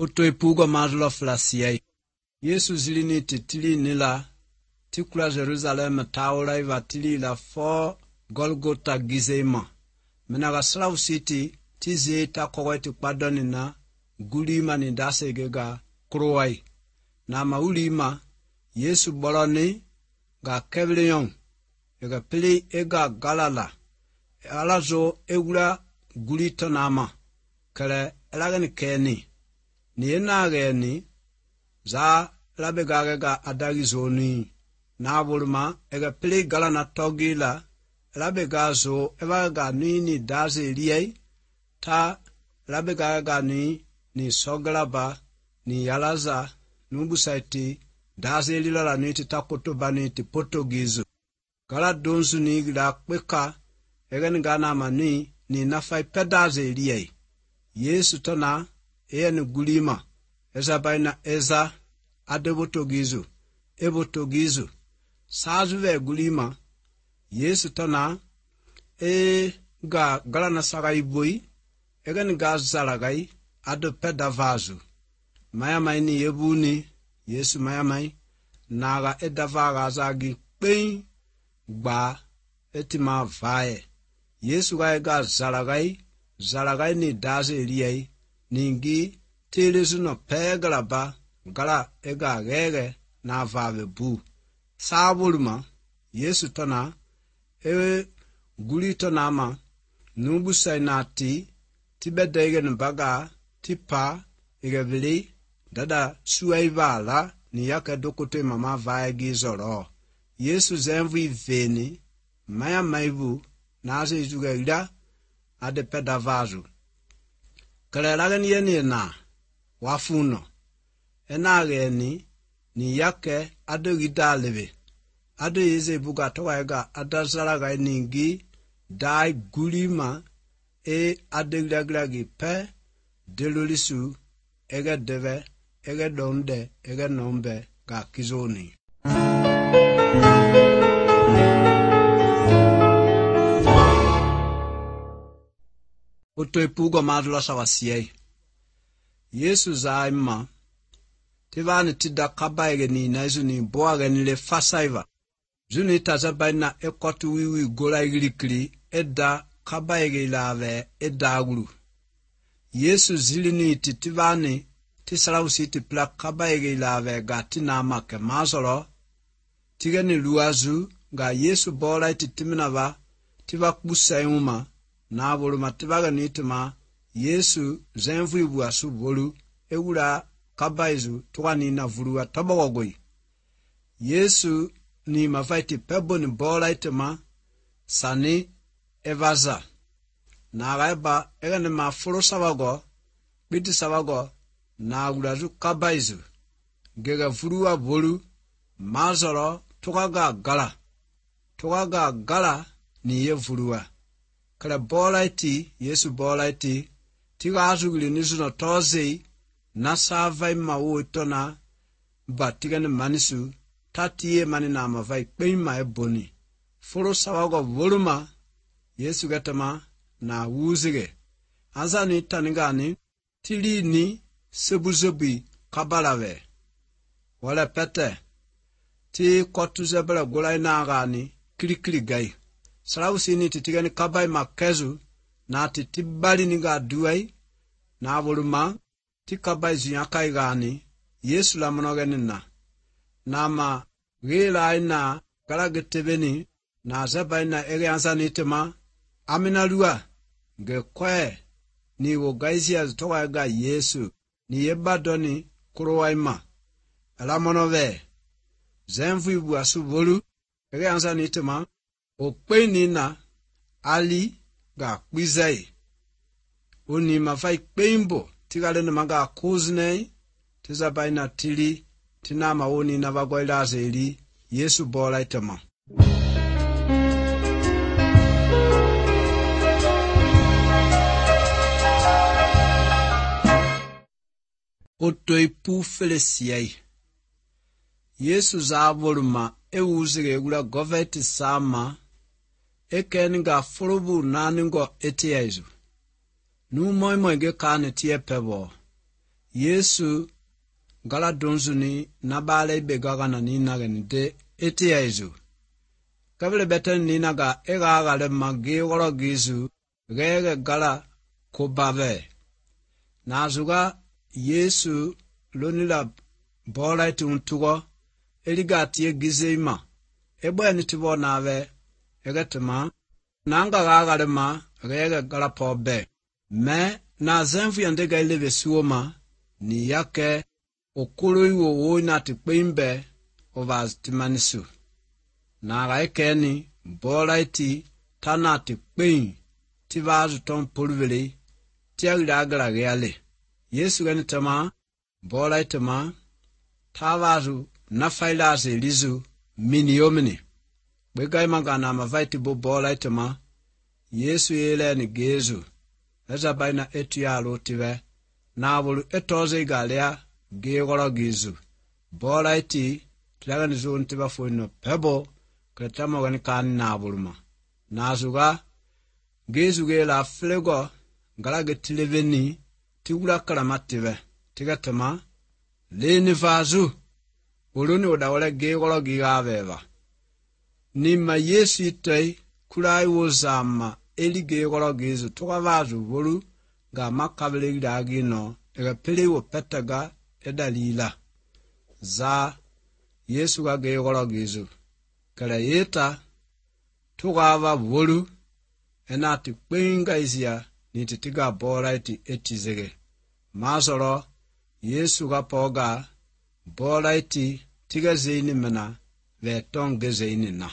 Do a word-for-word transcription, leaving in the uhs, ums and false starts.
Otoi pugo mazlo flasiai. Yesu zilini titili nila. Tikula Jerusalem taula iva tili la fo Golgotha Gizema. Menaga Slav City tizi ta kogweti kpadoni na gulima ni dase gega kruwai. Na maulima Yesu boloni ga kevlion. Ega pili ega galala. Alazo egula gulito nama. Kale elagani keni. Ni enageni za labegagega adagizoni. Na bulma ega pili galana togila. Labegazo evaga nini daze liye. Ta labegaga ni ni soglaba ni yalaza nubusaiti daze lilala niti takotoba niti potogizo. Gala donsu ni la kweka egen gana mani ni nafai pedaze liye. Yesu tona eye ni gulima eza baina eza adebotogizo ebotogizo sazuve gulima Yesu tona e ga gala na sagai boy egen ga zalagai ado pedavazu maya mai ni yebuni Yesu maya mai naga edavaga zagi pein gba etima vae Yesu ga ga zalagai zalagai ni daze eliyai ningi telezu no pegalaba gala ega gege na vave bu sabulma Yesu tona e gulito nama nubu sainati tibedege nbaga tipa igevili dada suaivala ni yaka dokote mama vaegi zoro Yesu zenvu iveni maya maivu naze izuga ila ade pedavazu kale lagani yeni na wafuno ena geni ni yake ade gidalebe ade yeze buga towaega adazalaga ningi dai gulima e adeglagi pe delolisu ege deve ege donde ege nombe ga kizoni. Otoi pugo madlo sawasiei. Yesu zaima tivani tida kabaige ni naizu ni boage ni le fasaiva. Zuni tazabaina ekotu wiwi gola igilikili edda kabaige ilave edda agulu. Yesu zilini titivani tisalausi tipla kabaige ilave gati na make mazolo. Tigeni luazu ga Yesu bola ititimina tiva kusa yuma na voluma tivaga nitima Yesu zenvu ibu asu bolu eula kabaizu tuwani na vulua tabawagoi. Yesu ni mafaiti pebo ni bola itema sani evaza. Na gaiba ega ni mafuro sawago, biti sawago na ulazu kabaizu. Gega vulua bolu mazoro tukaga gala. Tukaga gala ni ye vulua. Kala bola iti, Yesu bola iti, tiga azugili nisu no tozei, nasa ima uitona, ba tiga ni manisu, tatiye mani na mavai peima eboni. Furo sawago voluma, Yesu gatama na wuzige. Azani tanigani, tili ni sebuzebi kabalave. Wale pete, ti kotu zebele gulai nagani, kili kili gai. Salausi ni titigani kabai makezu na titibali niga duai na voluma ti kabai zinyakai gani Yesu la monogeni na na ma gila ina galagetebeni na zeba ina ege ansani tema amina lua ge kwe ni wogaizi azitowa ega Yesu ni yebadoni kurowaima ala monove zenvu ibu asu volu ege ansani tema Okpeni na ali ga kwizai. Oni mafai kpeimbo tigale na maga kuznei tizabai na tili tinama oni na vagoila zeli Yesu bola itema. Otoi pu felesiai. Yesu zavoluma euzige gula goveti sama ekeninga fulubu naningo etiezu. Nu moi moi ge kane tie pebo. Yesu gala donzuni na bale begaga na nina de eti yezu. Kabile beten nina ga ega gale magi woro gizu gege gala kobave. Nazuga Yesu lonila bola iti untugo eliga tie gizeima. Ebo eni tibo nave egetema nanga ga gale ma gege gala pobe. Me na zenfu yandega ileve suoma ni yake okolo iwo wo na tikpeimbe ovaz timanisu. Na raikeni bola iti tana tikpein tivazu ton pulvili tiagila agala reale. Yesu gani tama bola itama tavazu na failase lizu mini yomini. Bwegai magana mavaiti bo bola itama Yesu yele ni gezu. Eza baina etu ya lotive na bulu etoze igalea gegoro gizu. Bola iti tilaga nizu untiba fuino pebo kretama wani kani na buluma. Nazuga gezu ge la flego galage tileveni tigula kalamative tigatama leni vazu uluni udawale gegoro gigaveva. Nima Yesu itei kulai wozama eli gegoro gizu tuka vazu vulu ga makabele gidagino ega pili wo petaga edalila. Za Yesu ga gegoro gizu kala yeta tuka va vulu enati kwenga izia niti tiga bola iti etizege. Mazoro Yesu ga poga bola iti tiga zeini mena ve tonge zeini na.